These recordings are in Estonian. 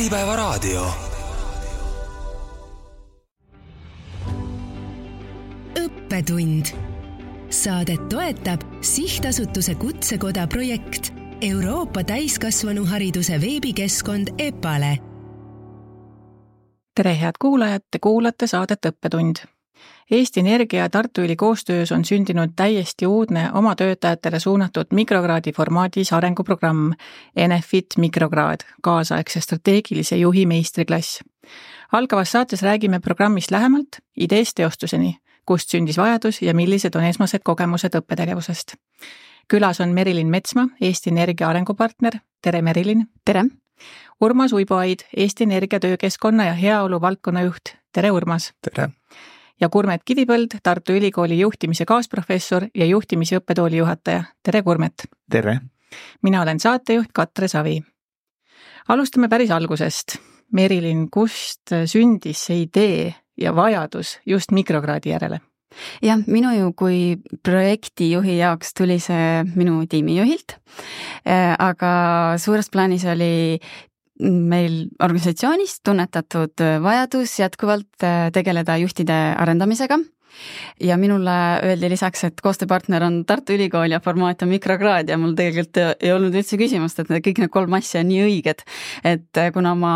Äripäevaraadio. Õppetund. Saadet toetab Sihtasutuse Kutsekoda projekt Euroopa täiskasvanuhariduse veebikeskkond EPALE. Tere head kuulajad, te kuulate saadet Õppetund. Eesti Energia ja Tartu Ülikooli koostöös on sündinud täiesti uudne oma töötajatele suunatud mikrokraadi formaadis arenguprogramm Enefit mikrokraad, kaasaegse strateegilise juhi meistriklass. Algavas saates räägime programmist lähemalt, ideest teostuseni, kust sündis vajadus ja millised on esmased kogemused õppetegevusest. Külas on Merilin Metsma, Eesti Energia arengupartner. Tere Merilin! Tere! Urmas Uiboaid, Eesti Energia töökeskkonna ja heaolu valdkonna juht. Tere Urmas! Tere! Ja Kurmet Kivipõld, Tartu Ülikooli juhtimise kaasprofessor ja juhtimise õppetooli juhataja. Tere Kurmet! Tere! Mina olen saatejuht Katre Savi. Alustame päris algusest. Merilin, kust sündis see idee ja vajadus just mikrokraadi järele? Jah, minu ju kui projektijuhi jaoks tuli see minu tiimijuhilt, aga suures plaanis oli meil organisatsioonis tunnetatud vajadus jätkuvalt tegeleda juhtide arendamisega ja minule öeldi lisaks, et koostööpartner on Tartu Ülikool ja formaat on mikrokraad ja mul tegelikult ei olnud üldse küsimust, et kõik need 3 asja on nii õiged, et kuna ma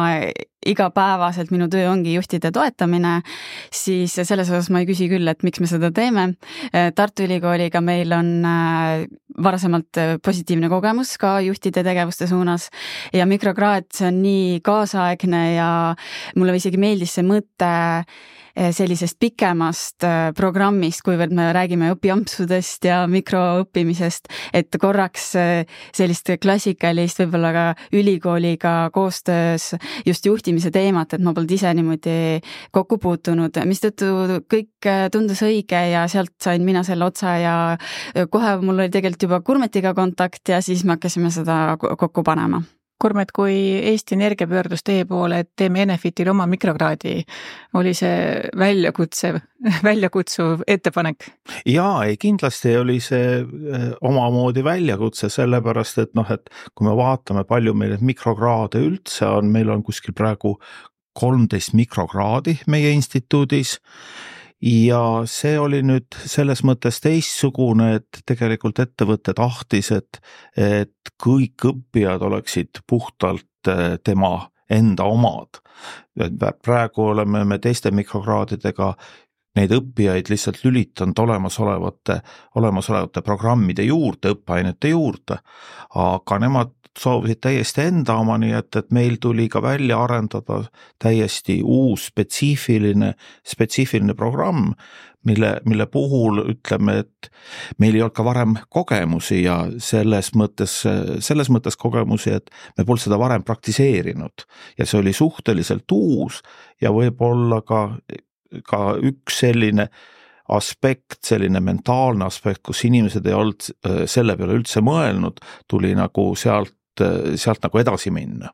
igapäevaselt minu töö ongi juhtide toetamine, siis selles osas ma ei küsi küll, et miks me seda teeme. Tartu Ülikooliga meil on varasemalt positiivne kogemus ka juhtide tegevuste suunas ja mikrokraad, see on nii kaasaegne ja mulle isegi meeldis see mõte sellisest pikemast programmist, kuivõrd me räägime õpiampsudest ja mikroõppimisest, et korraks sellist klassikalist võib-olla ka ülikooliga koostöös just juhtimise teemat, et ma polnud ise niimoodi kokku puutunud, mistõttu kõik tundus õige ja sealt sain mina selle otsa ja kohe mul oli tegelikult juba Kurmetiga kontakt ja siis me hakkasime seda kokku panema. Kurmet, kui Eesti Energia pöördus teie poole, et teeme Enefitil oma mikrokraadi, oli see väljakutsuv ettepanek? Jaa, kindlasti oli see omamoodi väljakutse, sellepärast, et et kui me vaatame palju meil mikrokraade üldse on, meil on kuskil praegu 13 mikrokraadi meie instituudis ja see oli nüüd selles mõttes teistsugune, et tegelikult ettevõte tahtis, et kõik õppijad oleksid puhtalt tema enda omad. Praegu oleme me teiste mikrokraadidega neid õppijaid lihtsalt lülitanud olemasolevate programmide juurde, õppeainete juurde, aga nemad soovisid täiesti enda oma, nii et meil tuli ka välja arendada täiesti uus spetsiifiline programm, mille puhul ütleme, et meil ei olnud ka varem kogemusi ja selles mõttes kogemusi, et me polnud seda varem praktiseerinud ja see oli suhteliselt uus ja võib-olla ka üks selline aspekt, selline mentaalne aspekt, kus inimesed ei olnud selle peale üldse mõelnud, tuli nagu sealt nagu edasi minna.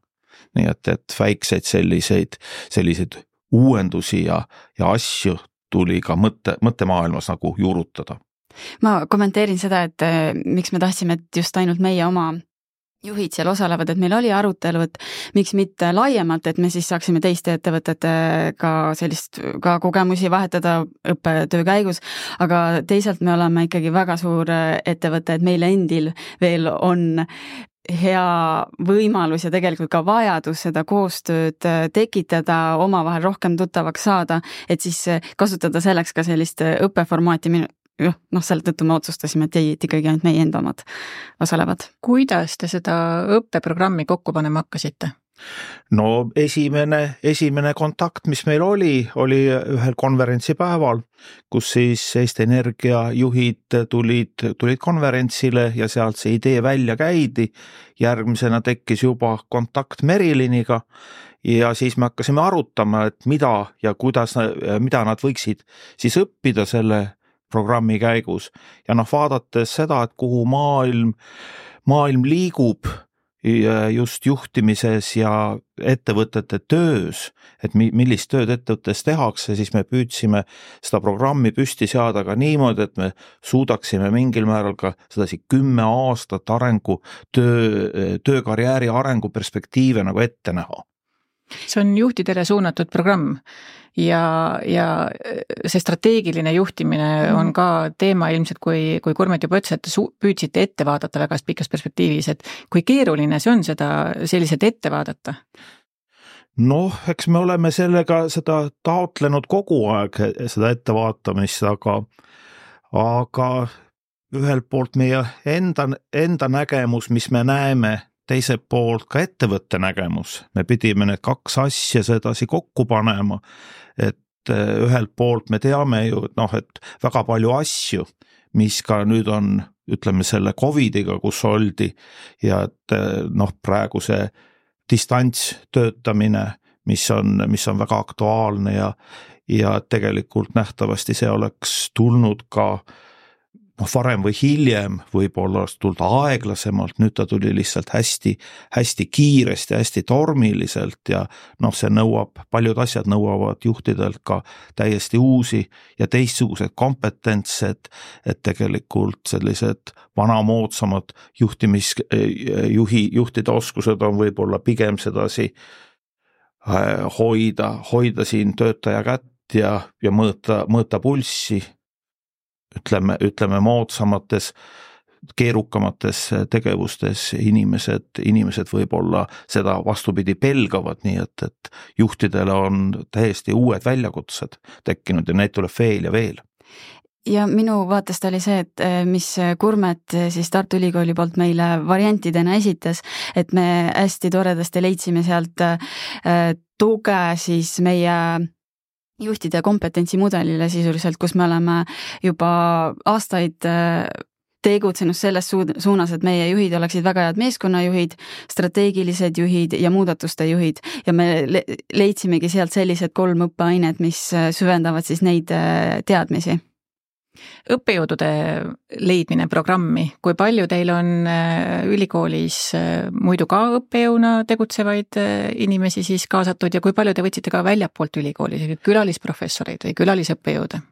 Nii et väikseid selliseid uuendusi ja asju tuli ka mõttemaailmas nagu juurutada. Ma kommenteerin seda, et miks me tahtsime, et just ainult meie oma juhid seal osalevad, et meil oli arutelu, et miks mitte laiemalt, et me siis saaksime teiste ettevõtetega sellist ka kogemusi vahetada õppetöö käigus, aga teisalt me oleme ikkagi väga suur ettevõte, et meil endil veel on hea võimalus ja tegelikult ka vajadus seda koostööd tekitada, omavahel rohkem tuttavaks saada, et siis kasutada selleks ka sellist õppeformaati. Selle tõttu me otsustasime, et ikkagi ainult meie enda omad osalevad. Kuidas te seda õppeprogrammi kokku panema hakkasite? No esimene kontakt, mis meil oli ühel konverentsipäeval, kus siis Eesti Energia juhid tulid konverentsile ja sealt see idee välja käidi. Järgmisena tekkis juba kontakt Meriliniga ja siis me hakkasime arutama, et mida nad võiksid siis õppida selle programmi käigus ja vaadates seda, et kuhu maailm liigub just juhtimises ja ettevõtete töös, et millist tööd ettevõttes tehakse, siis me püüdsime seda programmi püsti seada ka niimoodi, et me suudaksime mingil määral ka sedasi 10 aastat töökarjääri arengu perspektiive nagu ette näha. See on juhtidele suunatud programm ja see strateegiline juhtimine on ka teema ilmselt, kui Kurmet juba ütles, et püüdsite ette vaadata väga pikas perspektiivis, et kui keeruline see on seda selliselt ette vaadata? Noh, eks me oleme sellega seda taotlenud kogu aeg, seda ettevaatamist, aga ühelt poolt meie enda nägemus, mis me näeme, teiselt poolt ka ettevõtte nägemus. Me pidime need kaks asja sedasi kokku panema, et ühelt poolt me teame ju, et väga palju asju, mis ka nüüd on, ütleme selle COVIDiga, kus oldi ja et praegu see distantstöötamine, mis on väga aktuaalne ja tegelikult nähtavasti see oleks tulnud ka varem või hiljem, võib-olla oleks tulnud aeglasemalt, nüüd ta tuli lihtsalt hästi kiiresti, hästi tormiliselt ja see paljud asjad nõuavad juhtidelt ka täiesti uusi ja teistsugused kompetentsed, et tegelikult sellised vanamoodsamad juhtide oskused on võib-olla pigem sedasi hoida siin töötaja kätt ja mõõta pulssi, ütleme moodsamates, keerukamates tegevustes inimesed võib-olla seda vastupidi pelgavad, nii et juhtidele on täiesti uued väljakutsed tekkinud ja neid tuleb veel ja veel. Ja minu vaatest oli see, et mis Kurmet siis Tartu Ülikooli poolt meile variantidena esitas, et me hästi toredasti leidsime sealt tuge siis meie juhtide kompetentsimudelile sisuliselt, kus me oleme juba aastaid tegutsenud selles suunas, et meie juhid oleksid väga head meeskonnajuhid, strateegilised juhid ja muudatuste juhid ja me leidsimegi sealt sellised 3 õppeainet, mis süvendavad siis neid teadmisi. Õppejõudude leidmine programmi, kui palju teil on ülikoolis muidu ka õppejõuna tegutsevaid inimesi siis kaasatud ja kui palju te võtsite ka väljapoolt ülikooli, külalisprofessoreid või külalisõppejõude?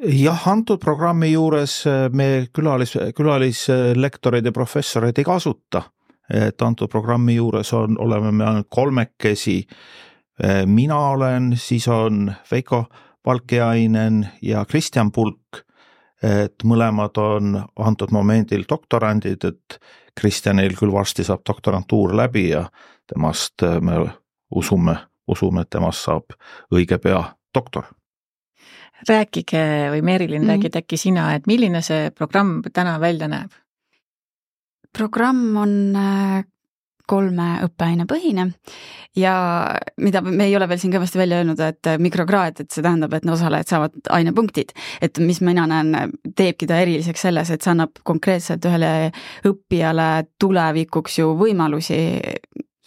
Jah, antud programmi juures me külalislektoreid ja professoreid ei kasuta, et antud programmi juures oleme me ainult 3. Mina olen, siis on Veiko Valkeainen ja Kristjan Pulk, et mõlemad on antud momendil doktorandid, et Kristjanil küll varsti saab doktorantuur läbi ja temast me usume, et temast saab õige pea doktor. Rääkige või Merilin, räägid äkki sina, et milline see programm täna välja näeb? Programm on 3 õppeaine põhine ja mida me ei ole veel siin kõvasti välja öelnud, et mikrokraad, et see tähendab, et osalejad saavad ainepunktid, et mis mina näen, teebki ta eriliseks selles, et see annab konkreetselt ühele õppijale tulevikuks ju võimalusi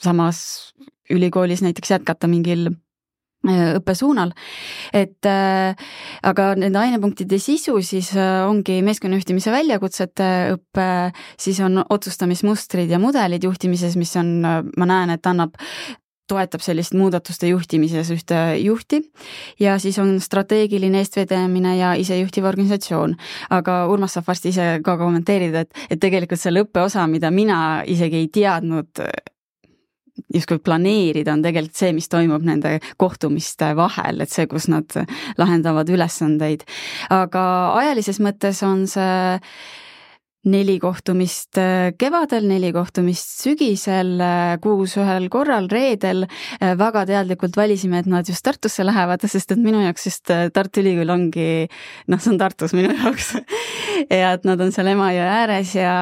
samas ülikoolis näiteks jätkata mingil õppesuunal, et aga nende ainepunktide sisu siis ongi meeskonnajuhtimise väljakutsete õppe, siis on otsustamismustrid ja mudelid juhtimises, mis on, ma näen, et toetab sellist muudatuste juhtimises ühte juhti ja siis on strateegiline eestvedamine ja isejuhtiv organisatsioon. Aga Urmas saab varsti ise ka kommenteerida, et tegelikult selle õppeosa, mida mina isegi ei teadnud justkui planeerida, on tegelikult see, mis toimub nende kohtumiste vahel, et see, kus nad lahendavad ülesandeid. Aga ajalises mõttes on see 4 kohtumist kevadel, 4 kohtumist sügisel, 6 ühel korral, reedel. Väga teadlikult valisime, et nad just Tartusse lähevad, sest et minu jaoks just Tartu Ülikool ongi, see on Tartus minu jaoks ja et nad on seal Emajõe ääres ja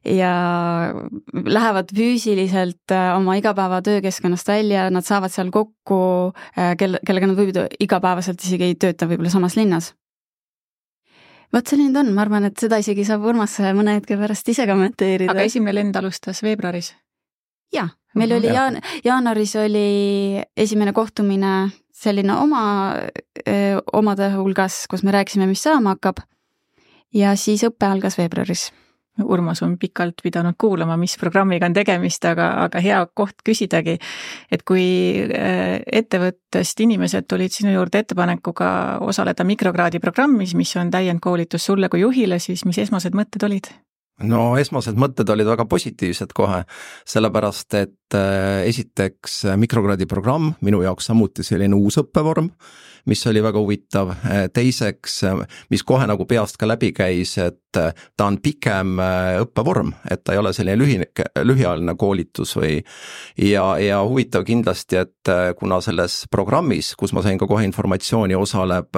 lähevad füüsiliselt oma igapäeva töökeskkonnast välja, nad saavad seal kokku, kellega nad võib igapäevaselt isegi ei tööta võib-olla samas linnas. Vot selline on, ma arvan, et seda isegi saab Urmas mõne hetke pärast ise kommenteerida. Aga esimene lend alustas veebruaris? Jaa, meil oli jaanuaris oli esimene kohtumine selline omade hulgas, kus me rääkisime, mis saama hakkab ja siis õppe algas veebruaris. Urmas on pikalt pidanud kuulama, mis programmiga on tegemist, aga hea koht küsidagi, et kui ettevõttest inimesed tulid sinu juurde ettepanekuga osaleda mikrokraadi programmis, mis on täiendkoolitus sulle kui juhile, siis mis esmased mõtted olid? No esmased mõtted olid väga positiivsed kohe, sellepärast et esiteks mikrokraadi programm, minu jaoks samuti selline uus õppevorm, mis oli väga huvitav. Teiseks, mis kohe nagu peast ka läbi käis, et ta on pikem õppevorm, et ta ei ole selline lühiajaline koolitus ja huvitav kindlasti, et kuna selles programmis, kus ma sain ka kohe informatsiooni, osaleb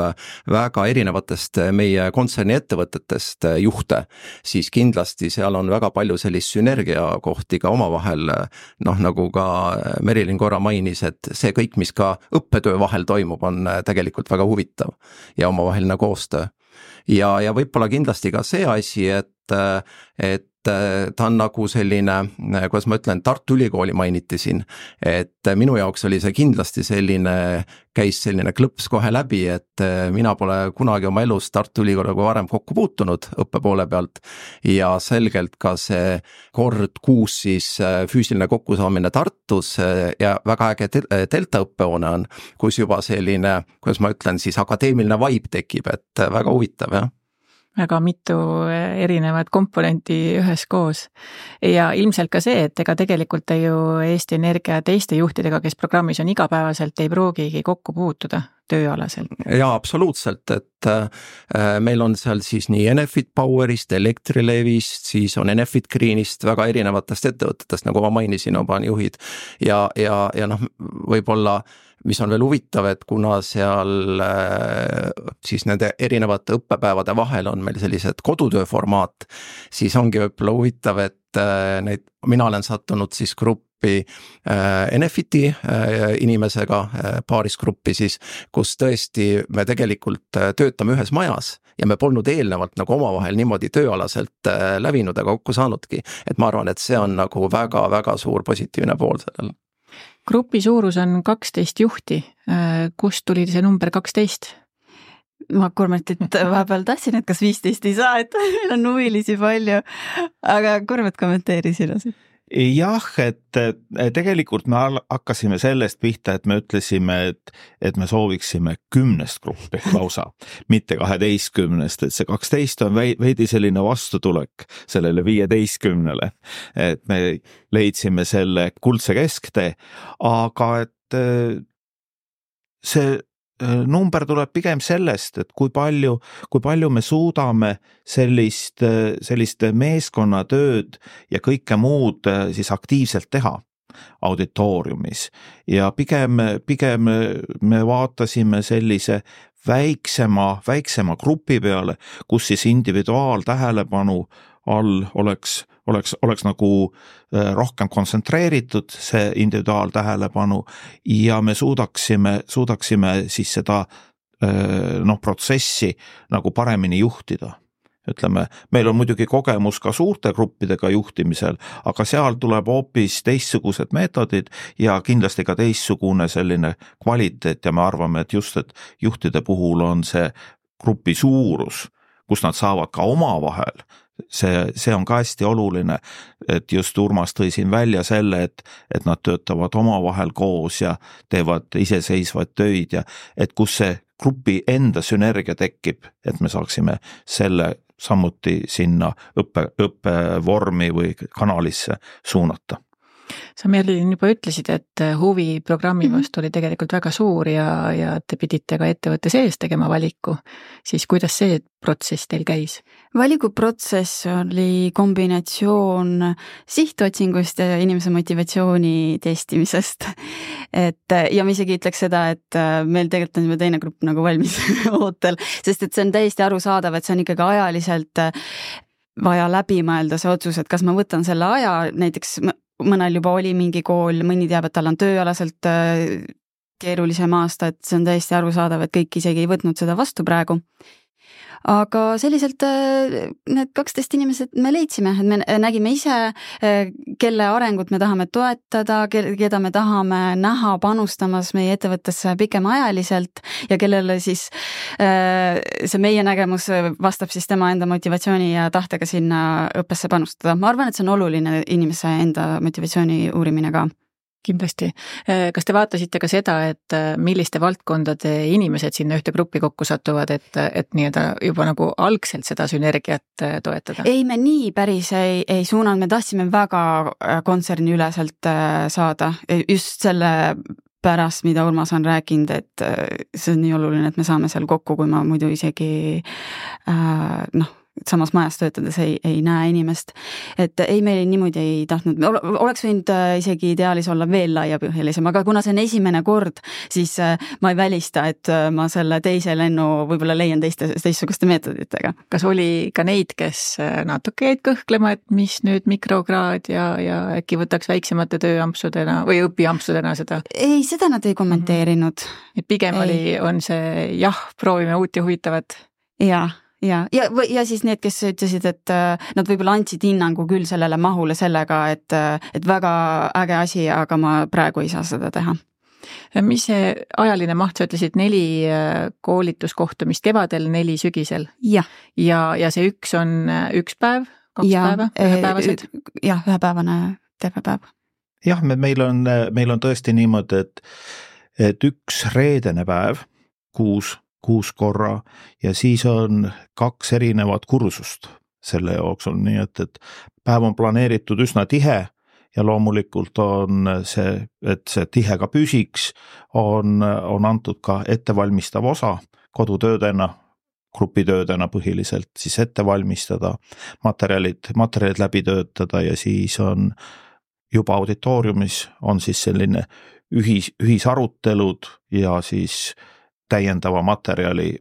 väga erinevatest meie kontserni ettevõtetest juhte, siis kindlasti seal on väga palju sellist sünergia kohti ka omavahel, nagu ka Merilin korra mainis, et see kõik, mis ka õppetöö vahel toimub, on tegelikult väga huvitav ja omavaheline koostöö. Ja võib-olla kindlasti ka see asi, et ta on nagu selline, kuidas ma ütlen, Tartu Ülikooli mainiti siin, et minu jaoks oli see kindlasti käis selline klõps kohe läbi, et mina pole kunagi oma elus Tartu Ülikooliga varem kokku puutunud õppe poole pealt ja selgelt ka see kord kuus siis füüsiline kokkusaamine Tartus ja väga äge delta õppehoone on, kus juba selline, kuidas ma ütlen, siis akadeemiline vibe tekib, et väga huvitav, jah. Väga mitu erinevat komponenti üheskoos ja ilmselt ka see, et ega tegelikult ju Eesti Energia teiste juhtidega, kes programmis on igapäevaselt, ei pruugigi kokku puutuda tööalaselt. Jaa, absoluutselt, et meil on seal siis nii Enefit Powerist, Elektrilevist, siis on Enefit Greenist, väga erinevatest ettevõtetest, nagu ma mainisin, oma juhid ja võib-olla mis on veel huvitav, et kuna seal siis nende erinevate õppepäevade vahel on meil sellised kodutöö formaat, siis ongi võib-olla huvitav, et mina olen sattunud siis gruppi Enefiti inimesega, paaris gruppi siis, kus tõesti me tegelikult töötame ühes majas ja me polnud eelnevalt nagu omavahel niimoodi tööalaselt lävinud ega kokku saanudki, et ma arvan, et see on nagu väga-väga suur positiivne pool sellel. Grupi suurus on 12 juhti. Kust tuli see number 12? Ma Kurmetit vahepeal tahtsin, et kas 15 ei saa, et meil on huvilisi palju, aga Kurmet kommenteeri sina siin. Jah, et tegelikult me hakkasime sellest pihta, et me ütlesime, et me sooviksime 10 gruppi lausa, mitte 12, et see 12 on veidi selline vastutulek sellele 15-le, et me leidsime selle kuldse kesktee, aga et see number tuleb pigem sellest, et kui palju me suudame sellist meeskonnatööd ja kõike muud siis aktiivselt teha auditooriumis ja pigem me vaatasime sellise väiksema grupi peale, kus siis individuaaltähelepanu all oleks nagu rohkem kontsentreeritud see individuaaltähelepanu ja me suudaksime siis seda protsessi nagu paremini juhtida. Ütleme, meil on muidugi kogemus ka suurte gruppidega juhtimisel, aga seal tuleb hoopis teistsugused meetodid ja kindlasti ka teistsugune selline kvaliteet ja me arvame, et just et juhtide puhul on see grupi suurus, kus nad saavad ka omavahel. See on ka hästi oluline, et just Urmas tõi siin välja selle, et nad töötavad omavahel koos ja teevad iseseisvaid töid ja et kus see grupi enda sünergia tekib, et me saaksime selle samuti sinna õppevormi või kanalisse suunata. Sa Merilin juba ütlesid, et huvi programmi vastu oli tegelikult väga suur ja te pidite ka ettevõtte sees tegema valiku. Siis kuidas see protsess teil käis? Valikuprotsess oli kombinatsioon sihtotsingust ja inimese motivatsiooni testimisest. Ja ma isegi ütleks seda, et meil tegelikult on juba teine grupp nagu valmis ootel, sest et see on täiesti arusaadav, et see on ikkagi ajaliselt vaja läbi mõelda see otsus, et kas ma võtan selle aja, näiteks mõnel juba oli mingi kool, mõni teab, et tal on tööalaselt keerulisem aasta, et see on täiesti arusaadav, et kõik isegi ei võtnud seda vastu praegu. Aga selliselt need 12 inimesed me leidsime, et me nägime ise, kelle arengut me tahame toetada, keda me tahame näha panustamas meie ettevõttesse pikemaajaliselt ja kellele siis see meie nägemus vastab siis tema enda motivatsiooni ja tahtega sinna õppesse panustada. Ma arvan, et see on oluline inimese enda motivatsiooni uurimine ka. kindlasti. Kas te vaatasite ka seda, et milliste valdkondade inimesed sinna ühte gruppi kokku satuvad, et nii-öelda juba nagu algselt seda sünergiat toetada? Ei, me nii päris ei suunanud, me tahtsime väga kontserni üleselt saada, just selle pärast, mida Urmas on rääkinud, et see on nii oluline, et me saame seal kokku, kui ma muidu isegi samas majas töötades ei näe inimest. Et ei, meil niimoodi ei tahtnud, oleks võinud isegi ideaalis olla veel laiapõhjalisem, aga kuna see on esimene kord, siis ma ei välista, et ma selle teise lennu võib-olla leian teistsuguste meetoditega. Kas oli ka neid, kes natuke jäid kõhklema, et mis nüüd mikrokraad ja äkki võtaks väiksemate tööampsudena või õpiampsudena seda? Ei, seda nad ei kommenteerinud. Et pigem on see jah, proovime uut ja huvitavat. Ja siis need, kes ütlesid, et nad võib-olla andsid hinnangu küll sellele mahule sellega, et väga äge asi, aga ma praegu ei saa seda teha. Mis see ajaline maht, sa ütlesid 4 koolituskohtumist kevadel, 4 sügisel? Ja see 1 on 1 päev, 2 päeva, ühepäevased? Jah, ühepäevane terve päev. Jah, meil on tõesti niimoodi, et 1 reedene päev, 6 korra ja siis on 2 erinevat kursust selle jooksul, nii et päev on planeeritud üsna tihe ja loomulikult on see, et see tihe ka püsiks, on antud ka ettevalmistav osa kodutöödena, grupitöödena põhiliselt siis ette valmistada, materjalid läbi töötada ja siis on juba auditooriumis on siis selline ühisarutelud ja siis täiendava materjali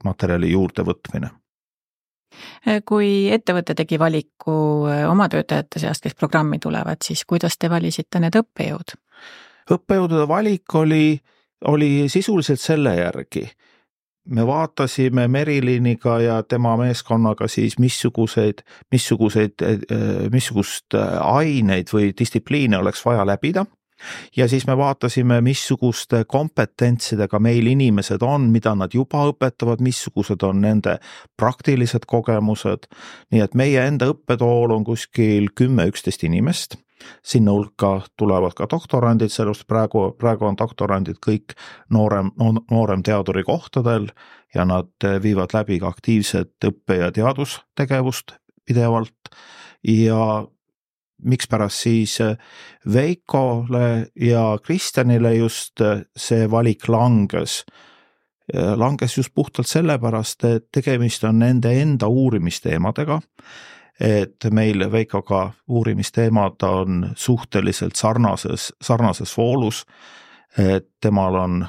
juurde võtmine. Kui ettevõte tegi valiku oma töötajate seast, kes programmi tulevad, siis kuidas te valisite need õppejõud? Õppejõudude valik oli sisuliselt selle järgi. Me vaatasime Meriliniga ja tema meeskonnaga siis missugust aineid või distsipliine oleks vaja läbida. Ja siis me vaatasime, missuguste kompetentsidega meil inimesed on, mida nad juba õpetavad, missugused on nende praktilised kogemused. Nii et meie enda õppetool on kuskil 10-11 inimest. Sinna hulka tulevad ka doktorandid, sellest praegu on doktorandid kõik noorem teaduri kohtadel ja nad viivad läbi ka aktiivset õppe- ja teadustegevust pidevalt ja mikspärast siis Veikole ja Kristjanile just see valik langes just puhtalt sellepärast, et tegemist on nende enda uurimisteemadega, et meil Veikoga uurimisteemad on suhteliselt sarnases voolus, et temal on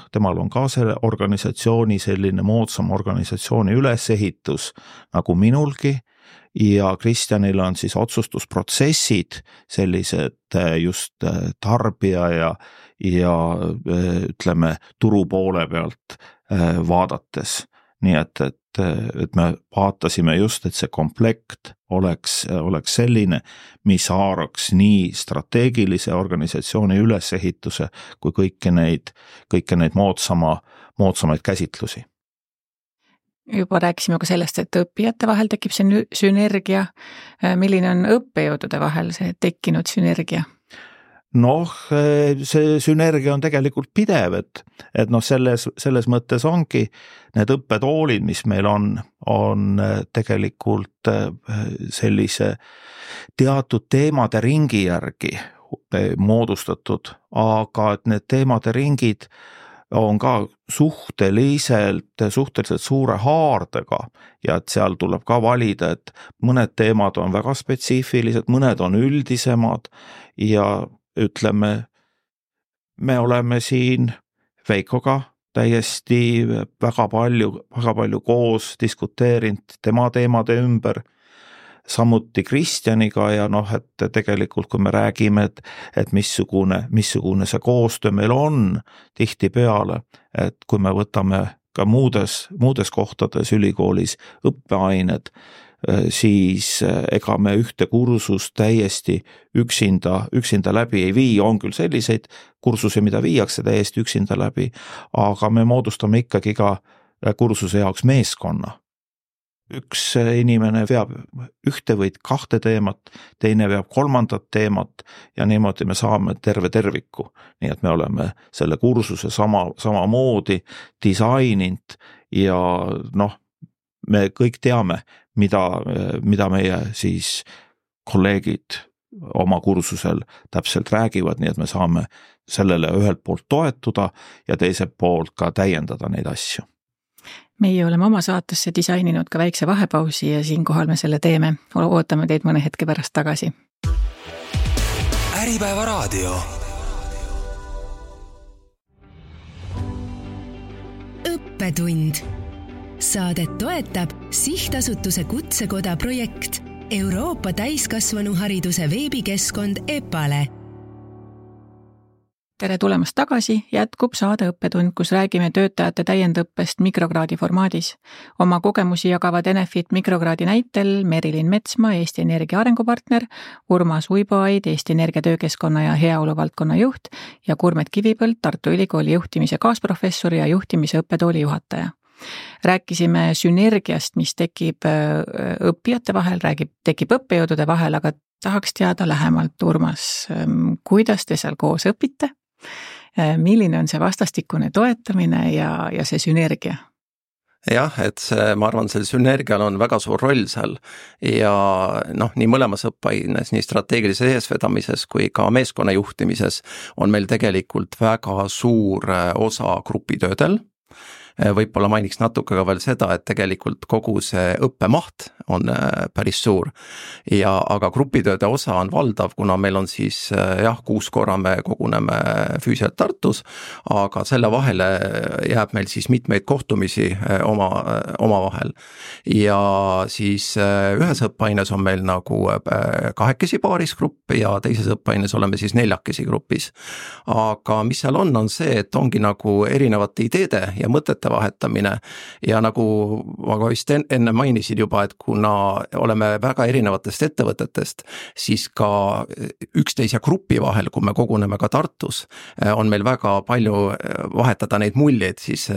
ka selle organisatsiooni selline moodsam organisatsiooni ülesehitus nagu minulgi, ja Kristjanil on siis otsustusprotsessid sellised just tarbija ja ütleme turu poole pealt vaadates. Nii et me vaatasime just, et see komplekt oleks selline, mis haaraks nii strateegilise organisatsiooni ülesehituse kui kõiki neid moodsamaid käsitlusi. Juba rääkisime ka sellest, et õppijate vahel tekib see sünergia. Milline on õppejõudude vahel see tekkinud sünergia? See sünergia on tegelikult pidev, et selles mõttes ongi need õppetoolid, mis meil on tegelikult sellise teatud teemade ringi järgi moodustatud, aga et need teemade ringid on ka suhteliselt suure haardega ja et seal tuleb ka valida, et mõned teemad on väga spetsiifilised, mõned on üldisemad ja ütleme, me oleme siin Veikoga täiesti väga palju koos diskuteerinud tema teemade ümber, samuti Kristjaniga ja et tegelikult kui me räägime, et missugune see koostöö meil on tihtipeale, et kui me võtame ka muudes kohtades ülikoolis õppeained, siis ega me ühte kursust täiesti üksinda läbi ei vii, on küll selliseid kursusi, mida viiakse täiesti üksinda läbi, aga me moodustame ikkagi ka kursuse jaoks meeskonna. üks inimene veab ühte või kahte teemat, teine veab kolmandat teemat ja niimoodi me saame terve terviku. Nii et me oleme selle kursuse samamoodi disaininud ja me kõik teame, mida meie siis kolleegid oma kursusel täpselt räägivad, nii et me saame sellele ühelt poolt toetuda ja teiselt poolt ka täiendada neid asju. Meie oleme oma saatesse disaininud ka väikse vahepausi ja siinkohal me selle teeme. Ootame teid mõne hetke pärast tagasi. Äripäeva raadio. Õppetund. Saadet toetab Sihtasutuse Kutsekoda projekt Euroopa täiskasvanuhariduse veebikeskkond EPALE. Tere tulemast tagasi, jätkub saade Õppetund, kus räägime töötajate täiendõppest mikrokraadi formaadis. Oma kogemusi jagavad Enefit mikrokraadi näitel Merilin Metsmaa, Eesti Energia arengupartner, Urmas Uiboaid, Eesti Energia töökeskkonna ja heaolu valdkonna juht ja Kurmet Kivipõld, Tartu Ülikooli juhtimise kaasprofessor ja juhtimise õppetooli juhataja. Rääkisime sünergiast, mis tekib õppijate vahel, tekib õppejõudude vahel, aga tahaks teada lähemalt, Urmas, kuidas te seal koos õpite? Milline on see vastastikune toetamine ja see sünergia? Jah, et ma arvan, sel sünergial on väga suur roll seal ja nii mõlemas õppeaines, nii strateegilises eesvedamises kui ka meeskonna juhtimises on meil tegelikult väga suur osa grupitöödel. Võib-olla mainiks natuke ka veel seda, et tegelikult kogu see õppemaht on päris suur aga grupitööde osa on valdav, kuna meil on siis 6 korra me koguneme füüsiliselt Tartus, aga selle vahele jääb meil siis mitmeid kohtumisi omavahel ja siis ühes õppeaines on meil nagu 2 paaris grupp ja teises õppeaines oleme siis 4 grupis. Aga mis seal on see, et ongi nagu erinevate ideede ja mõtete vahetamine ja nagu ma vist enne mainisin juba, et kuna oleme väga erinevatest ettevõtetest, siis ka üksteise grupi vahel, kui me koguneme ka Tartus, on meil väga palju vahetada neid muljeid siis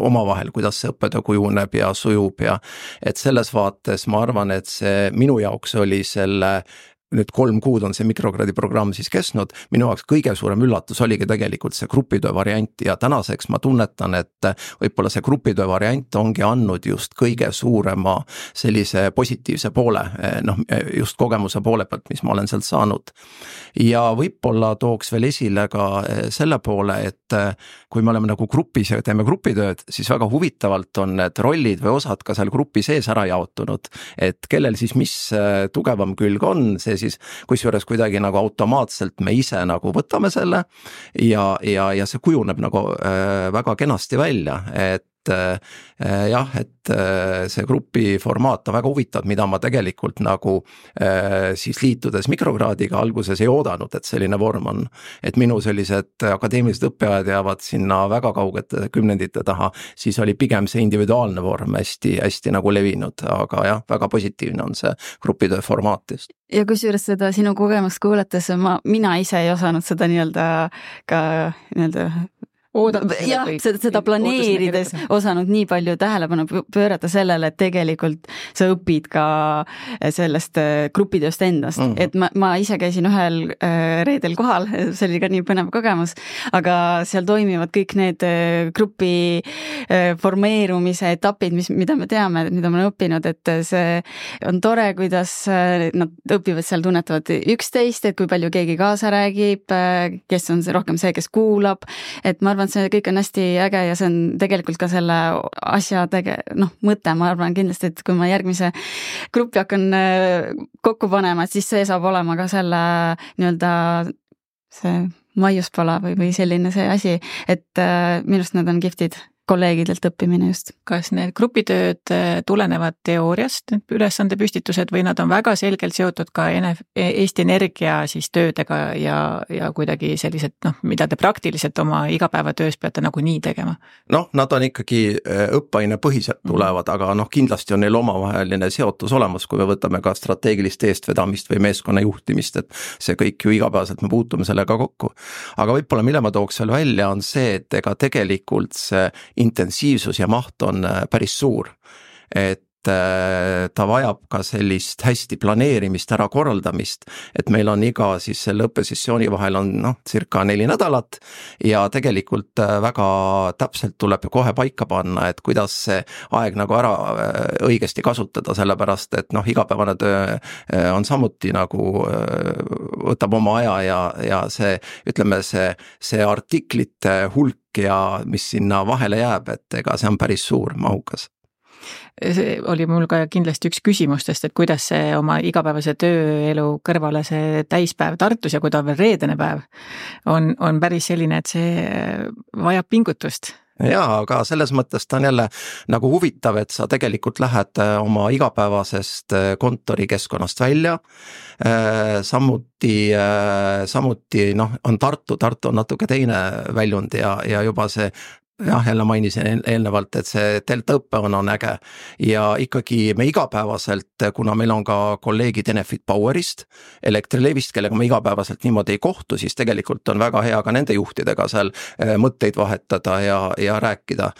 omavahel, kuidas see õppetöö kujuneb ja sujub ja et selles vaates ma arvan, et see minu jaoks oli selle nüüd 3 kuud on see mikrokraadi programm siis kestnud, minu jaoks kõige suurem üllatus oligi tegelikult see grupitöö variant ja tänaseks ma tunnetan, et võib-olla see grupitöö variant ongi andnud just kõige suurema sellise positiivse poole, just kogemuse poole pealt, mis ma olen sealt saanud. Ja võib-olla tooks veel esile ka selle poole, et kui me oleme nagu grupis ja teeme grupitööd, siis väga huvitavalt on need rollid või osad ka seal grupi sees ära jaotunud, et kellel siis mis tugevam külg on, see siis kusjuures kuidagi nagu automaatselt me ise nagu võtame selle ja see kujuneb nagu väga kenasti välja, et see grupi formaat on väga huvitav, mida ma tegelikult nagu siis liitudes mikrokraadiga alguses ei oodanud, et selline vorm on. Et minu sellised akadeemilised õppeajad jäävad sinna väga kaugete kümnendite taha, siis oli pigem see individuaalne vorm hästi nagu levinud, aga väga positiivne on see grupitöö formaat just. Ja kusjuures seda sinu kogemust kuulates mina ise ei osanud seda seda planeerides osanud nii palju tähelepanu pöörata sellele, et tegelikult sa õpid ka sellest grupitööst endast. Et ma ise käisin ühel reedel kohal, see oli ka nii põnev kogemus, aga seal toimivad kõik need grupi formeerumise etapid, mida me teame, mida ma olen õppinud, et see on tore, kuidas nad õpivad seal, tunnetavad üksteist, et kui palju keegi kaasa räägib, kes on rohkem see, kes kuulab, et ma arvan, see kõik on hästi äge ja see on tegelikult ka selle asja mõte, ma arvan kindlasti, et kui ma järgmise gruppi hakkan kokku panema, et siis see saab olema ka selle see maiuspala või selline see asi, et minust nad on kihvtid kolleegidelt õppimine just. Kas need grupitööd tulenevad teooriast, ülesande püstitused või nad on väga selgelt seotud ka Eesti Energia siis töödega ja kuidagi sellised, mida te praktiliselt oma igapäevatöös peate nagu nii tegema? Nad on ikkagi õppeaine põhiselt tulevad, aga kindlasti on neil omavaheline seotus olemas, kui me võtame ka strateegilist eestvedamist või meeskonna juhtimist, et see kõik ju igapäevaselt me puutume sellega kokku. Aga võib-olla mille ma tooks veel välja on see, et ega tegelikult see intensiivsus ja maht on päris suur, et ta vajab ka sellist hästi planeerimist, ära korraldamist, et meil on iga siis selle õppesessiooni vahel on circa 4 nädalat ja tegelikult väga täpselt tuleb kohe paika panna, et kuidas see aeg nagu ära õigesti kasutada, sellepärast et igapäevane töö on samuti nagu võtab oma aja ja see, ütleme see artiklite hulk ja mis sinna vahele jääb, et ega see on päris suur, mahukas. See oli mul ka kindlasti üks küsimustest, et kuidas see oma igapäevase tööelu kõrvale see täispäev Tartus ja kui ta on veel reedene päev, on päris selline, et see vajab pingutust. Jaa, aga selles mõttes ta on jälle nagu huvitav, et sa tegelikult lähed oma igapäevasest kontorikeskkonnast välja, samuti on Tartu on natuke teine väljund ja juba see jälle mainisin eelnevalt, et see delta õppe on äge ja ikkagi me igapäevaselt, kuna meil on ka kolleegid Enefit Powerist, Elektrilevist, kellega me igapäevaselt niimoodi ei kohtu, siis tegelikult on väga hea ka nende juhtidega seal mõtteid vahetada ja rääkida.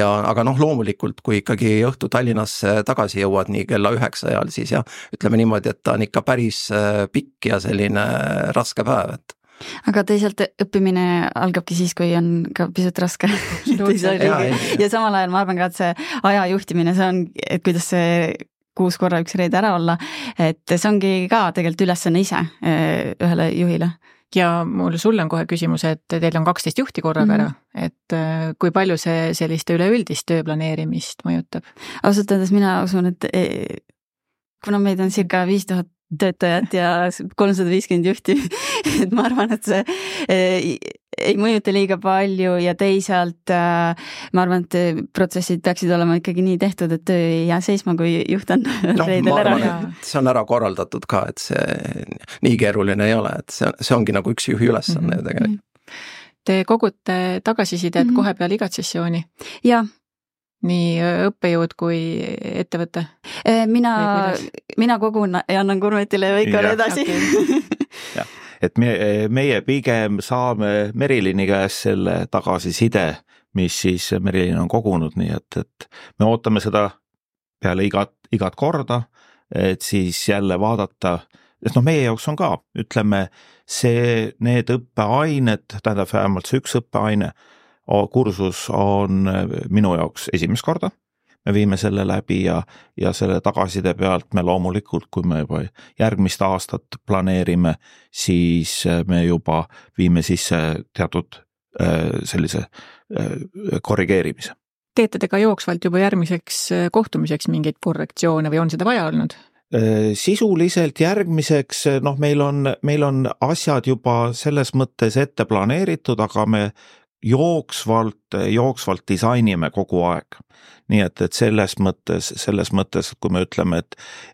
Aga loomulikult, kui ikkagi õhtu Tallinnasse tagasi jõuad nii kella 9 ajal, siis ütleme niimoodi, et ta on ikka päris pikk ja selline raske päev, et aga teisalt õppimine algabki siis, kui on ka pisut raske. Ja samal ajal ma arvan ka, et see aja juhtimine, see on, et kuidas see 6 korra üks reede ära olla, et see ongi ka tegelikult ülesanne ise ühele juhile. Ja mul sulle on kohe küsimus, et teil on 12 juhti korraga ära, et kui palju see selliste üleüldist tööplaneerimist mõjutab? Ausalt öeldes mina usun, et kuna meid on circa 5000 töötajad ja 350 juhti, et ma arvan, et see ei mõjuta liiga palju ja teisalt ma arvan, et protsessid peaksid olema ikkagi nii tehtud, et töö ei jää seisma, kui juht on reedel ära. See on ära korraldatud ka, et see nii keeruline ei ole, et see ongi nagu üks juhi ülesanne tegelikult. Te kogute tagasisidet kohe peale igat sessiooni? Jah. Nii õppejõud kui ettevõte? Mina kogun ja annan Kurmetile ja Veikole edasi. Ja, et meie pigem saame Merilini käest selle tagasiside, mis siis Merilin on kogunud, nii et me ootame seda peale igat korda, et siis jälle vaadata, et meie jaoks on ka, ütleme, need õppeained, tähendab vähemalt see üks õppeaine, kursus on minu jaoks esimest korda, me viime selle läbi ja selle tagasiside pealt me loomulikult, kui me juba järgmist aastat planeerime, siis me juba viime sisse teatud sellise korrigeerimise. Teete te ka jooksvalt juba järgmiseks kohtumiseks mingeid korrektsioone või on seda vaja olnud? Sisuliselt järgmiseks, meil on asjad juba selles mõttes ette planeeritud, aga me jooksvalt disainime kogu aeg. Nii et selles mõttes, kui me ütleme,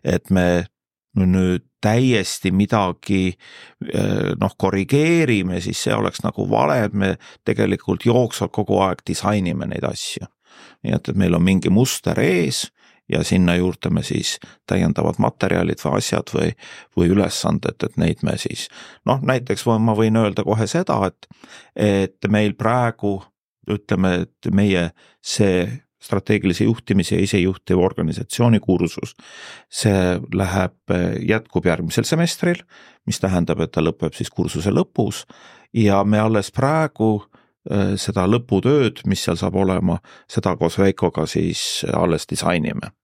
et me nüüd täiesti midagi korrigeerime, siis see oleks nagu vale, et me tegelikult jooksvalt kogu aeg disainime neid asju. Nii et meil on mingi muster ees ja sinna juurde me siis täiendavad materjalid või asjad või ülesanded, et neid me siis, näiteks ma võin öelda kohe seda, et meil praegu, ütleme, et meie see strateegilise juhtimise ja isejuhtiva organisatsiooni kursus, see jätkub järgmisel semestril, mis tähendab, et ta lõpeb siis kursuse lõpus ja me alles praegu seda lõputööd, mis seal saab olema, seda koos Veikoga siis alles disainime.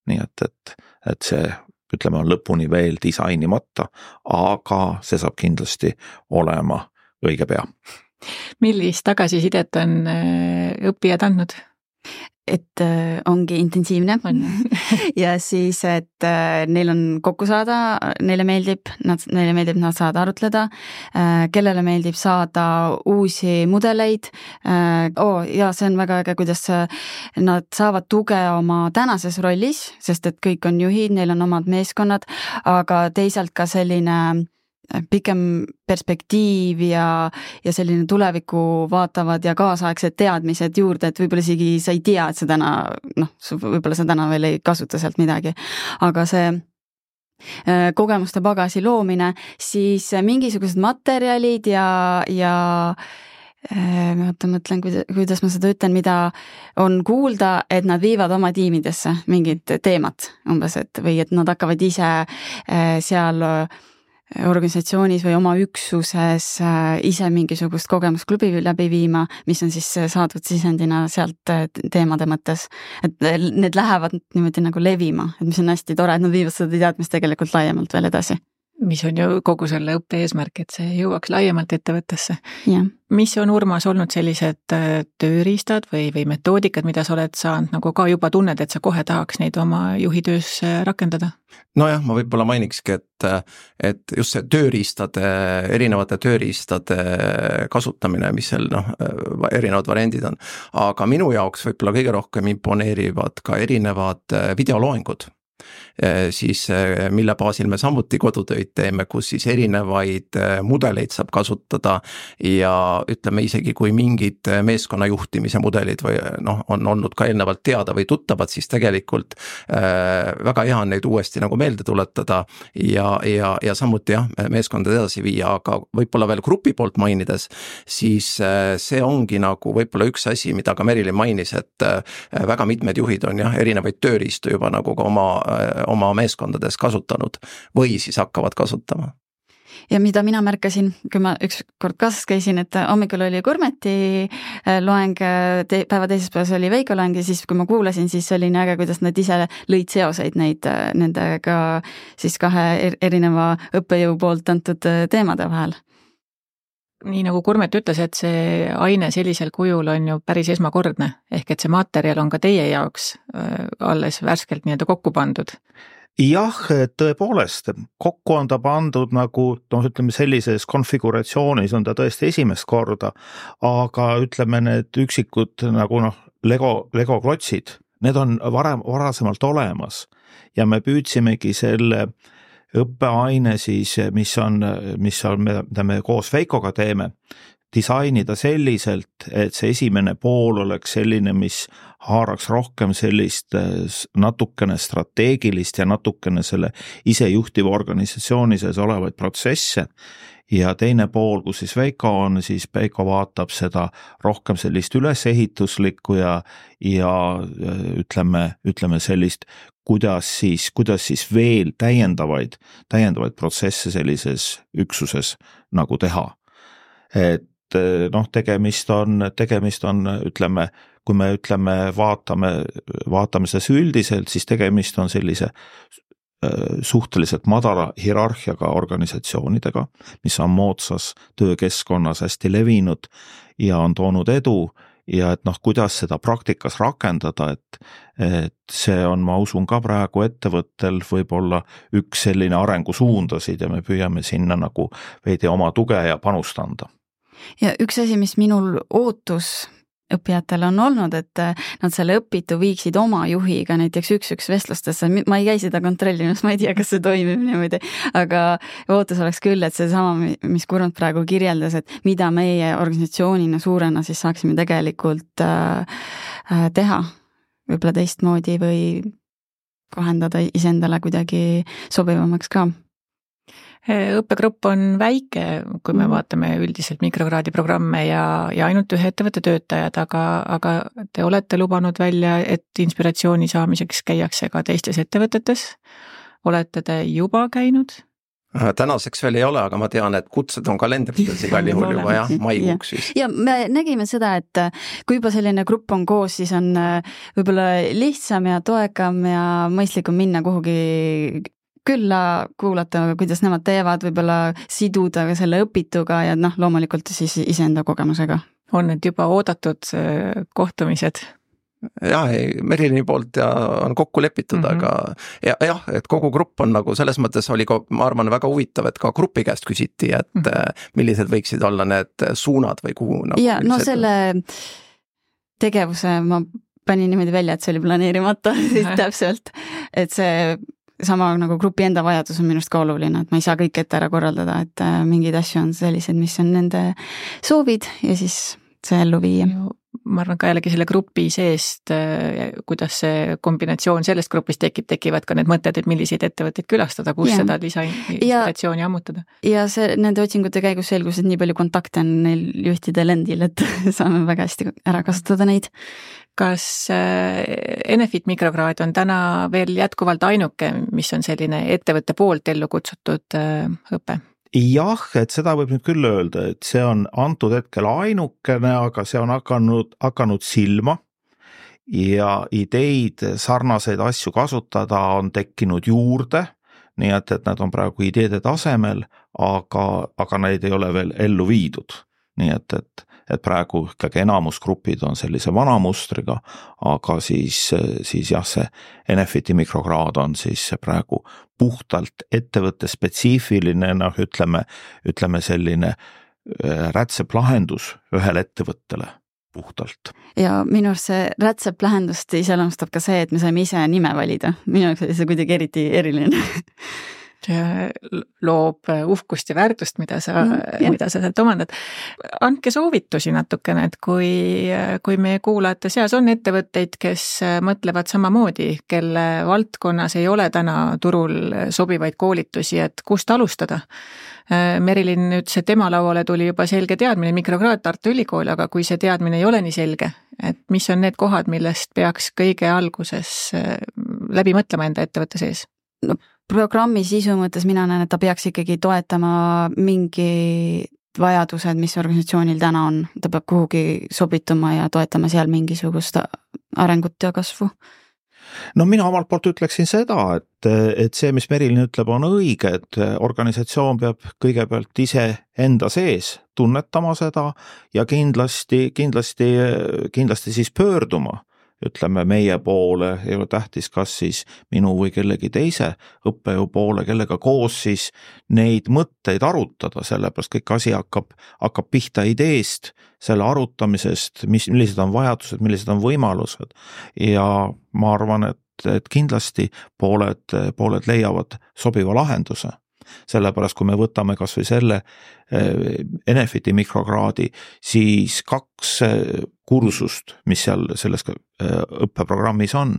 Nii et see, ütleme, on lõpuni veel disainimata, aga see saab kindlasti olema õige pea. Millist tagasisidet on õppijad andnud? Et ongi intensiivne ja siis, et neil on kokku saada, neile meeldib, nad saada arutleda, kellele meeldib saada uusi mudeleid. Ja see on väga äge, kuidas nad saavad tuge oma tänases rollis, sest et kõik on juhid, neil on omad meeskonnad, aga teisalt ka selline pikem perspektiiv ja selline tulevikku vaatavad ja kaasaegsed teadmised juurde, et võib-olla isegi sa ei tea, et sa võib-olla sa täna veel ei kasuta sealt midagi, aga see kogemuste pagasi loomine, siis mingisugused materjalid ja mõtlen, kuidas ma seda ütlen, mida on kuulda, et nad viivad oma tiimidesse mingid teemad umbes, või et nad hakkavad ise seal organisatsioonis või oma üksuses ise mingisugust kogemusklubi läbi viima, mis on siis saadud sisendina sealt teemade mõttes. Et need lähevad niimoodi nagu levima, et mis on hästi tore, et nad viivad seda teadmist tegelikult laiemalt veel edasi. Mis on ju kogu selle õppe eesmärk, et see jõuaks laiemalt ettevõttesse. Ja. Mis on, Urmas, olnud sellised tööriistad või metoodikad, mida sa oled saanud nagu ka juba tunned, et sa kohe tahaks neid oma juhitöös rakendada? Nojah, ma võib-olla mainikski, et just see erinevate tööriistade kasutamine, mis seal erinevad variandid on, aga minu jaoks võib-olla kõige rohkem imponeerivad ka erinevad videoloengud. Siis mille baasil me samuti kodutöid teeme, kus siis erinevaid mudeleid saab kasutada ja ütleme isegi kui mingid meeskonna juhtimise mudelid või on olnud ka eelnevalt teada või tuttavad, siis tegelikult väga hea on neid uuesti nagu meelde tuletada ja samuti meeskondade edasi viia, aga võib-olla veel grupi poolt mainides, siis see ongi nagu võib-olla üks asi, mida ka Merilin mainis, et väga mitmed juhid on erinevaid tööriistu juba nagu ka oma meeskondades kasutanud või siis hakkavad kasutama. Ja mida mina märkasin, kui ma ükskord kaasas käisin, et hommikul oli Kurmeti loeng, päeva teises päevas oli Veiko loeng ja siis kui ma kuulasin, siis oli nii äge, kuidas nad ise lõid seoseid nendega siis kahe erineva õppejõu poolt antud teemade vahel. Nii nagu Kurmet ütles, et see aine sellisel kujul on ju päris esmakordne, ehk et see materjal on ka teie jaoks alles värskelt nii-öelda kokku pandud. Jah, tõepoolest, kokku on ta pandud nagu, ütleme sellises konfiguratsioonis on ta tõesti esimest korda, aga ütleme need üksikud nagu Lego klotsid, need on varasemalt olemas ja me püüdsimegi selle õppeaine siis, mida me koos Veikoga teeme, disainida selliselt, et see esimene pool oleks selline, mis haaraks rohkem sellist natukene strateegilist ja natukene selle isejuhtiva organisatsiooni sees olevaid protsesse ja teine pool, kus siis Veiko on, siis Veiko vaatab seda rohkem sellist ülesehituslikku ja ütleme sellist, kuidas siis veel täiendavaid protsesse sellises üksuses nagu teha. Et tegemist on, ütleme, kui me vaatame seda üldiselt, siis tegemist on sellise suhteliselt madala hierarhiaga organisatsioonidega, mis on moodsas töökeskkonnas hästi levinud ja on toonud edu ja et kuidas seda praktikas rakendada, et see on, ma usun ka praegu ettevõttel võib-olla üks selline arengusuundasid ja me püüame sinna nagu veidi oma tuge ja panust anda. Ja üks asi, mis minul ootus õppijatel on olnud, et nad selle õpitu viiksid oma juhiga näiteks üks vestlustesse, ma ei käi seda kontrollinud, ma ei tea, kas see toimib niimoodi, aga ootus oleks küll, et see sama, mis Kurmant praegu kirjeldas, et mida meie organisatsioonina suurena siis saaksime tegelikult teha võib-olla teistmoodi või kohendada iseendale kuidagi sobivamaks ka. Õppegrupp on väike, kui me vaatame üldiselt mikrokraadi programme ja ainult ühe ettevõtte töötajad, aga te olete lubanud välja, et inspiratsiooni saamiseks käiakse ka teistes ettevõtetes. Olete te juba käinud? Tänaseks veel ei ole, aga ma tean, et kutsed on kalendrites igal juhul juba maikuuks vist. Ja me nägime seda, et kui juba selline grupp on koos, siis on võib-olla lihtsam ja toekam ja mõistlikum minna kuhugi külla kuulata, kuidas nemad teevad, võib-olla siduda selle õpituga ja loomulikult siis iseenda kogemusega. On need juba oodatud kohtumised? Jah, Merilini poolt ja on kokku lepitud, aga et kogu grupp on nagu selles mõttes oli ka, ma arvan, väga huvitav, et ka grupi käest küsiti, et millised võiksid olla need suunad või kuhu nagu ja selle tegevuse ma panin niimoodi välja, et see oli planeerimata täpselt, et see sama nagu grupi enda vajadus on minust ka oluline, et ma ei saa kõik ette ära korraldada, et mingid asju on sellised, mis on nende soovid ja siis see ellu viia. ma arvan ka jällegi selle grupi seest, kuidas see kombinatsioon sellest grupist tekivad ka need mõtted, et milliseid ettevõtteid külastada, kus seda lisainspiratsiooni ammutada. Ja nende otsingute käigus selgus, et nii palju kontakte on neil juhtidel endil, et saame väga hästi ära kasutada neid. Kas Enefit mikrokraad on täna veel jätkuvalt ainuke, mis on selline ettevõtte poolt ellu kutsutud õpe? Jah, et seda võib nüüd küll öelda, et see on antud hetkel ainukene, aga see on hakanud silma ja ideid sarnaseid asju kasutada on tekkinud juurde, nii et nad on praegu ideede tasemel, aga neid ei ole veel ellu viidud. Nii et praegu ikkagi enamusgrupid on sellise vana mustriga, aga siis jah, see Enefiti mikrokraad on siis praegu puhtalt ettevõtte spetsiifiline, ütleme selline rätseplahendus ühele ettevõttele puhtalt. Ja minu arust see rätseplahendust iseloomustab ka see, et me saime ise nime valida. Minu arust oli see kuidagi eriti eriline. Loob uhkust ja väärtust, mida sa sealt omandad. Andke soovitusi natukene, et kui meie kuulajate seas on ettevõtteid, kes mõtlevad samamoodi, kelle valdkonnas ei ole täna turul sobivaid koolitusi, et kust alustada. Merilin ütles, et tema lauale tuli juba selge teadmine mikrokraad Tartu Ülikool, aga kui see teadmine ei ole nii selge, et mis on need kohad, millest peaks kõige alguses läbi mõtlema enda ettevõtte sees? No, programmi sisu mõttes mina näen, et ta peaks ikkagi toetama mingi vajadused, mis organisatsioonil täna on. Ta peab kuhugi sobituma ja toetama seal mingisugust arengut ja kasvu. No mina omalt poolt ütleksin seda, et see, mis Merilin ütleb, on õige, et organisatsioon peab kõigepealt ise enda sees tunnetama seda ja kindlasti siis pöörduma. Ütleme meie poole, ei ole tähtis, kas siis minu või kellegi teise õppejõu poole, kellega koos siis neid mõtteid arutada, sellepärast kõik asi hakkab pihta ideest, selle arutamisest, millised on vajadused, millised on võimalused ja ma arvan, et kindlasti pooled leiavad sobiva lahenduse. Sellepärast, kui me võtame kas või selle Enefiti mikrokraadi, siis 2 kursust, mis seal selles õppeprogrammis on,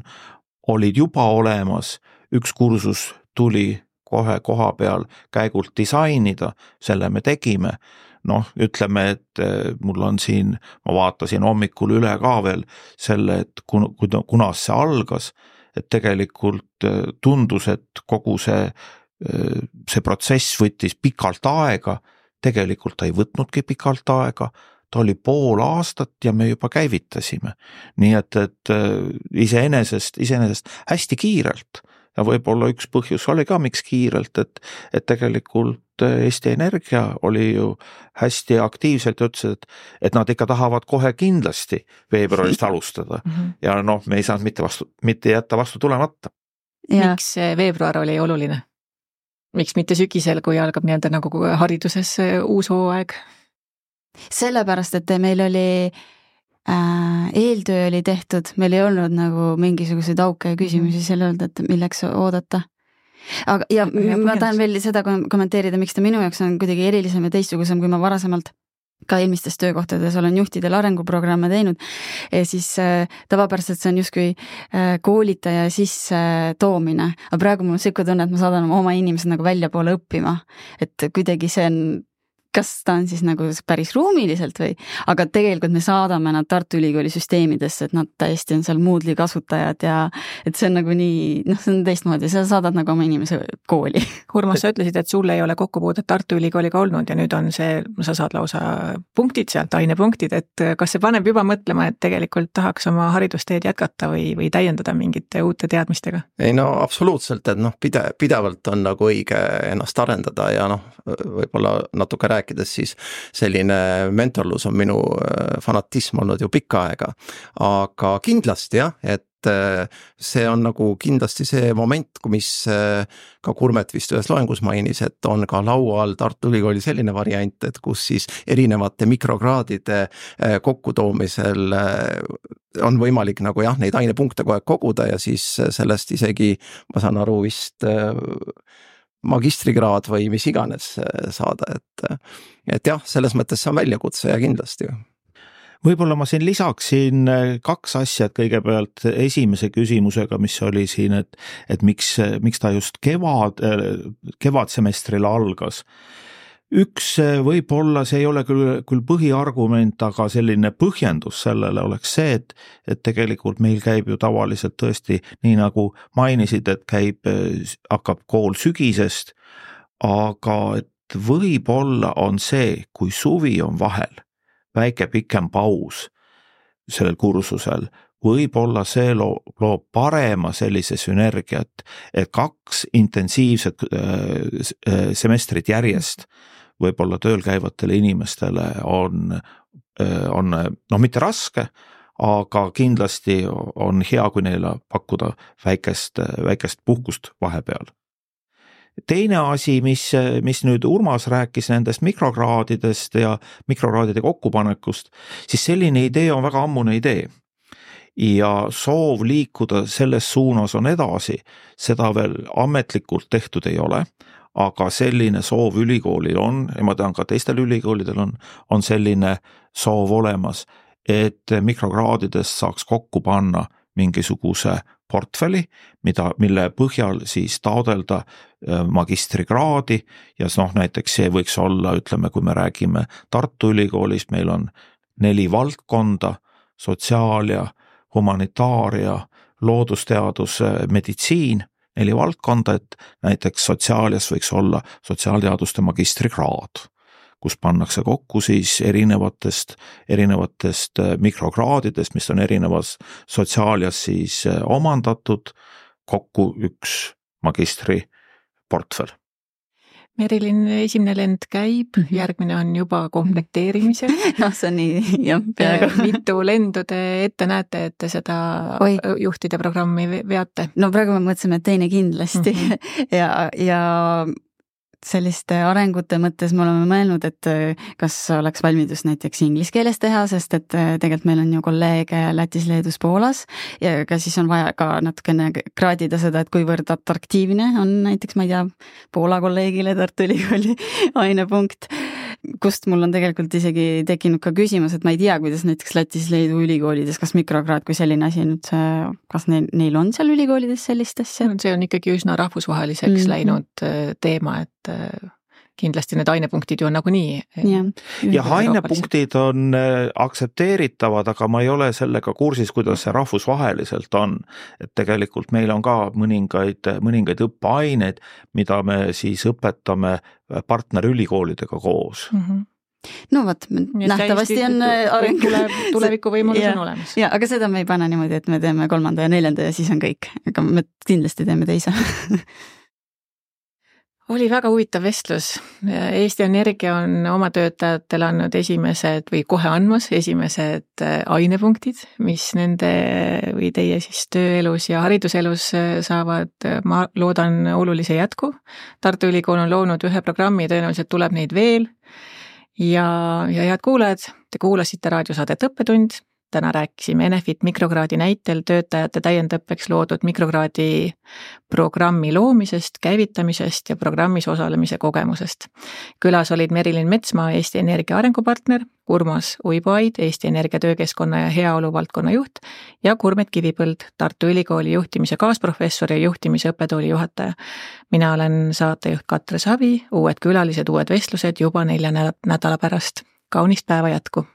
olid juba olemas. Üks kursus tuli kohe koha peal käigult disainida, selle me tegime. Ütleme, et mul on siin, ma vaatasin hommikul üle ka veel selle, et kunas see algas, et tegelikult tundus, et kogu see protsess võttis pikalt aega, tegelikult ta ei võtnudki pikalt aega, ta oli pool aastat ja me juba käivitasime. Nii et iseenesest hästi kiirelt ja võib-olla üks põhjus oli ka miks kiirelt, et tegelikult Eesti Energia oli ju hästi aktiivselt ja ütles, et nad ikka tahavad kohe kindlasti veebruarist alustada ja me ei saanud mitte jätta vastu tulemata. Miks veebruar oli oluline? Miks mitte sügisel, kui algab nii-öelda nagu hariduses uus hooaeg? Sellepärast, et meil oli eeltöö oli tehtud, meil ei olnud nagu mingisuguseid auke ja küsimusi selle öelda, et milleks oodata. Ja ma tahan veel seda kommenteerida, miks ta minu jaoks on kuidagi erilisem ja teistsugusem, kui ma varasemalt ka eelmistes töökohtades olen juhtidel arenguprogramme teinud, siis tavapäraselt see on justkui koolitaja sisse toomine, aga praegu mul on siuke tunne, et ma saadan oma inimesed nagu välja poole õppima, et kuidagi see on, kas ta on siis nagu päris ruumiliselt või, aga tegelikult me saadame nad Tartu Ülikooli süsteemidesse, et nad täiesti on seal Moodle'i kasutajad ja et see on nagu nii, see on teistmoodi, sa saadad nagu oma inimese kooli. Urmas, sa ütlesid, et sul ei ole kokkupuudet Tartu Ülikooliga olnud ja nüüd on see, sa saad lausa punktid sealt, ainepunktid, et kas see paneb juba mõtlema, et tegelikult tahaks oma haridusteed jätkata või täiendada mingite uute teadmistega? Ei absoluutselt, et pidevalt on nagu õige ennast arendada ja võib-olla natuke rääkides siis selline mentorlus on minu fanatism olnud ju pikka aega, aga kindlasti jah, et see on nagu kindlasti see moment, mis ka Kurmet vist ühes loengus mainis, et on ka laua all Tartu Ülikooli selline variant, et kus siis erinevate mikrokraadide kokkutoomisel on võimalik nagu jah, neid ainepunkte kogu aeg koguda ja siis sellest isegi, ma saan aru vist magistrikraad või mis iganes saada, et jah, selles mõttes see on väljakutse ja kindlasti. Võib-olla ma siin lisaksin 2 asja, et kõigepealt esimese küsimusega, mis oli siin, et miks ta just kevadsemestril algas. Üks võib-olla, see ei ole küll põhiargument, aga selline põhjendus sellele oleks see, et tegelikult meil käib ju tavaliselt tõesti, nii nagu mainisid, et hakkab kool sügisest, aga et võib-olla on see, kui suvi on vahel, väike pikem paus sellel kursusel, võib-olla see loob parema sellise sünergiat, et 2 intensiivset semestrit järjest võib-olla tööl käivatele inimestele on mitte raske, aga kindlasti on hea, kui neile pakkuda väikest puhkust vahepeal. Teine asi, mis nüüd Urmas rääkis nendest mikrokraadidest ja mikrokraadide kokkupanekust, siis selline idee on väga ammune idee. Ja soov liikuda selles suunas on edasi, seda veel ametlikult tehtud ei ole, aga selline soov ülikoolil on, ja ma tean ka teistel ülikoolidel on selline soov olemas, et mikrokraadidest saaks kokku panna mingisuguse portfelli, mille põhjal siis taodelda magistrikraadi ja näiteks see võiks olla, ütleme, kui me räägime Tartu Ülikoolist, meil on 4 valdkonda, sotsiaalia, humanitaaria, loodusteadus, meditsiin, 4 valdkonda, et näiteks sotsiaalias võiks olla sotsiaalteaduste magistrikraad, kus pannakse kokku siis erinevatest mikrokraadidest, mis on erinevas sotsiaalias siis omandatud, kokku 1 magistri portfell. Merilin, esimene lend käib, järgmine on juba komplekteerimisel. See on nii, jah, peaaegu. Mitu lendu te ette näete, et te seda juhtide programmi veate? No praegu me mõtlesime, et teine kindlasti ja selliste arengute mõttes me oleme mõelnud, et kas oleks valmidus näiteks inglise keeles teha, sest et tegelikult meil on ju kolleege Lätis, Leedus, Poolas ja ka siis on vaja ka natukene kraadida seda, et kuivõrd atraktiivne on näiteks, ma ei tea, Poola kolleegile Tartu Ülikooli ainepunkt, kust mul on tegelikult isegi tekkinud ka küsimus, et ma ei tea, kuidas näiteks Lätis, Leedu ülikoolides, kas mikrokraad kui selline asi nüüd, kas neil on seal ülikoolides sellist asja? See on ikkagi üsna rahvusvaheliseks läinud teema, et kindlasti need ainepunktid ju on nagunii. Ja ainepunktid on aktsepteeritavad, aga ma ei ole sellega kursis, kuidas see rahvusvaheliselt on. Et tegelikult meil on ka mõningaid õppeaineid, mida me siis õpetame partnerülikoolidega koos. No võt, nähtavasti on areng. Tulevikuvõimalus on olemas. Ja, aga seda me ei pane niimoodi, et me teeme 3. ja 4. ja siis on kõik. Aga me kindlasti teeme teise. Oli väga huvitav vestlus. Eesti Energia on oma töötajatele andnud esimesed või kohe andmas esimesed ainepunktid, mis nende või teie siis tööelus ja hariduselus saavad, ma loodan, olulise jätku. Tartu Ülikool on loonud 1 programmi, tõenäoliselt tuleb neid veel. Ja head kuulajad, te kuulasite raadiosaadet Õppetund. Täna rääkisime Enefit mikrokraadi näitel töötajate täiendõppeks loodud mikrokraadi programmi loomisest, käivitamisest ja programmis osalemise kogemusest. Külas olid Merilin Metsmaa, Eesti Energia arengupartner, Urmas Uiboaid, Eesti Energia töökeskkonna ja heaolu valdkonna juht ja Kurmet Kivipõld, Tartu Ülikooli juhtimise kaasprofessor ja juhtimise õppetooli juhataja. Mina olen saatejuht Katre Savi, uued külalised, uued vestlused juba 4 nädala pärast. Kaunist päeva jätku!